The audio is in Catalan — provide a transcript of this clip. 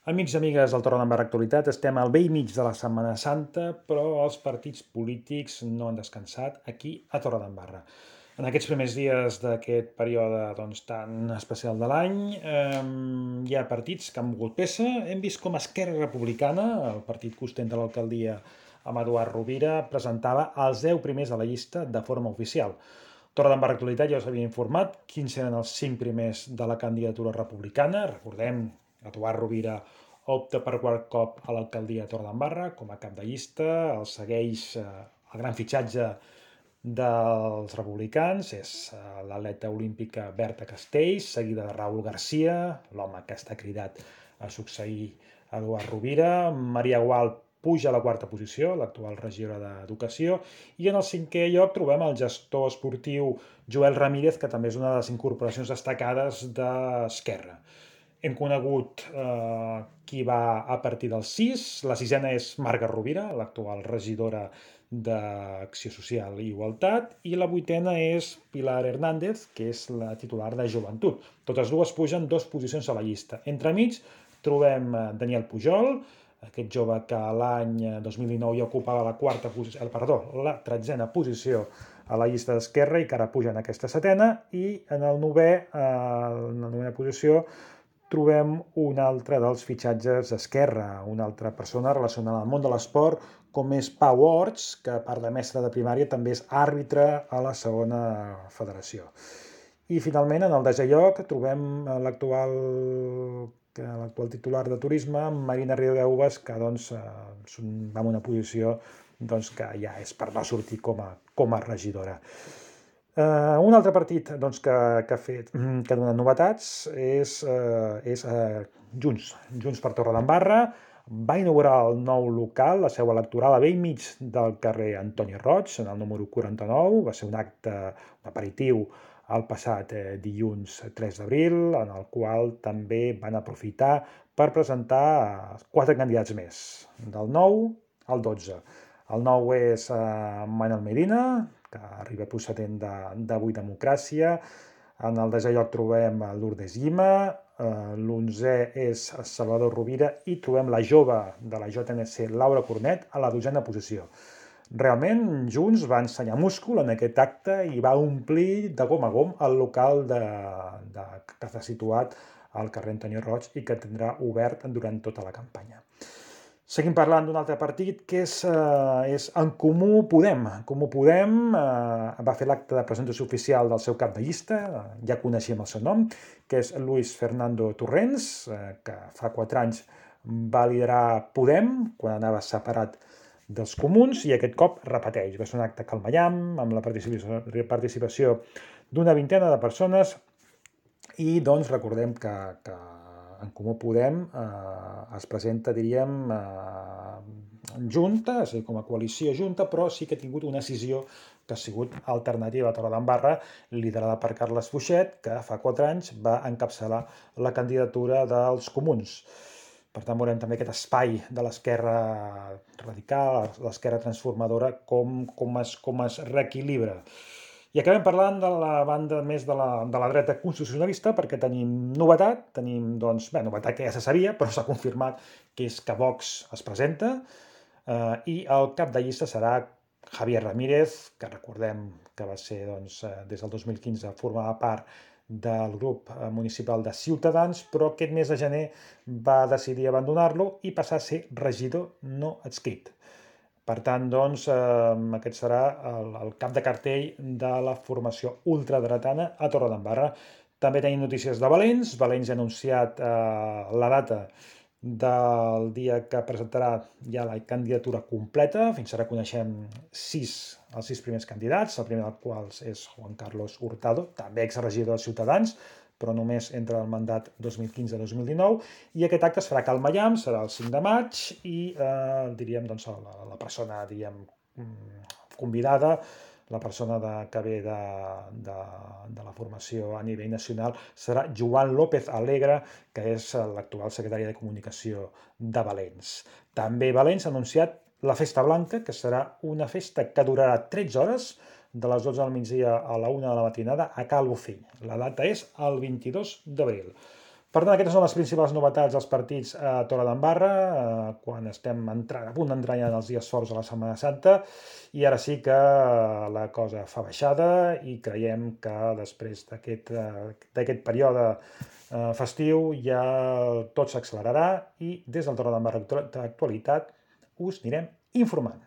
Amics i amigues del Torredembarra Actualitat, estem al vell mig de la Setmana Santa, però els partits polítics no han descansat aquí a Torredembarra. En aquests primers dies d'aquest període tan especial de l'any, hi ha partits que han mogut peça. Hem vist com Esquerra Republicana, el partit que ostenta l'alcaldia amb Eduard Rovira, presentava els 10 primers a la llista de forma oficial. Torredembarra Actualitat ja us havia informat quins eren els 5 primers de la candidatura republicana. Recordem, Eduard Rovira opta per quart cop a l'alcaldia de Torredembarra com a cap de llista, el segueix el gran fitxatge dels republicans, és l'atleta olímpica Berta Castells, seguida de Raúl García, l'home que està cridat a succeir Eduard Rovira. Maria Gual puja a la quarta posició, l'actual regidora d'Educació, i en el cinquè lloc trobem el gestor esportiu Joel Ramírez, que també és una de les incorporacions destacades d'Esquerra. Hem conegut qui va a partir del 6. La sisena és Marga Rovira, l'actual regidora d'Acció Social i Igualtat, i la vuitena és Pilar Hernández, que és la titular de Joventut. Totes dues pugen 2 posicions a la llista. Entremig trobem Daniel Pujol, aquest jove que l'any 2019 ja ocupava la 13a posició a la llista d'Esquerra i que ara puja en aquesta setena, i en la novena posició trobem un altre dels fitxatges d'Esquerra, una altra persona relacionada al món de l'esport, com és Pau Horts, que a part de mestre de primària també és àrbitre a la segona federació. I finalment, en el desè lloc, trobem l'actual titular de turisme, Marina Río de Uvas, que va en una posició que ja és per no sortir com a regidora. Un altre partit que ha donat novetats és Junts per Torredembarra. Va inaugurar el nou local, la seu electoral, a bell mig del carrer Antoni Roig, en el número 49. Va ser un acte, un aperitiu, el passat dilluns 3 d'abril, en el qual també van aprofitar per presentar 4 candidats més, del 9 al 12. El 9 és Manel Medina, que arriba procedent d'Avui Democràcia. En el desè lloc trobem Lourdes Llima, l'11è és Salvador Rovira i trobem la jove de la JNC, Laura Cornet, a la 12a posició. Realment, Junts va ensenyar múscul en aquest acte i va omplir de gom a gom el local que està situat al carrer Antoni Roig i que tindrà obert durant tota la campanya. Seguim parlant d'un altre partit que és En Comú Podem. En Comú Podem va fer l'acte de presentació oficial del seu cap de llista, ja coneixíem el seu nom, que és Luis Fernando Torrents, que fa 4 anys va liderar Podem, quan anava separat dels comuns, i aquest cop repeteix. Va ser un acte calmallam, amb la participació d'una vintena de persones, i recordem que En Comú Podem es presenta, diríem, junta, és a dir, com a coalició junta, però sí que ha tingut una escissió que ha sigut Alternativa a Torredembarra, liderada per Carles Fuixet, que fa 4 anys va encapçalar la candidatura dels comuns. Per tant, veurem també aquest espai de l'esquerra radical, l'esquerra transformadora, com es reequilibra. I acabem parlant de la banda més de la dreta constitucionalista, perquè tenim novetat, novetat que ja se sabia, però s'ha confirmat, que és que Vox es presenta, i el cap de llista serà Javier Ramírez, que recordem que va ser, des del 2015, formava part del grup municipal de Ciutadans, però aquest mes de gener va decidir abandonar-lo i passar a ser regidor no adscrit. Per tant, aquest serà el cap de cartell de la formació ultradretana a Torredembarra. També tenim notícies de Valens. Valens ha anunciat la data del dia que presentarà ja la candidatura completa. Fins ara coneixem els 6 primers candidats, el primer dels quals és Juan Carlos Hurtado, també exregidor de Ciutadans, però només entre el mandat 2015-2019, i aquest acte es farà a Cal Maiam, serà el 5 de maig, i diríem, la persona, convidada, la persona que ve de la formació a nivell nacional, serà Joan López Alegre, que és l'actual secretari de Comunicació de Valens. També Valens ha anunciat la Festa Blanca, que serà una festa que durarà 13 hores, de les 12 del migdia a la 1 de la matinada, a Cal Bufell. La data és el 22 d'abril. Per tant, aquestes són les principals novetats dels partits a Torredembarra, quan estem a punt d'entrar ja en els dies forts de la Setmana Santa, i ara sí que la cosa fa baixada i creiem que després d'aquest període festiu ja tot s'accelerarà i des del Torredembarra Actualitat us anirem informant.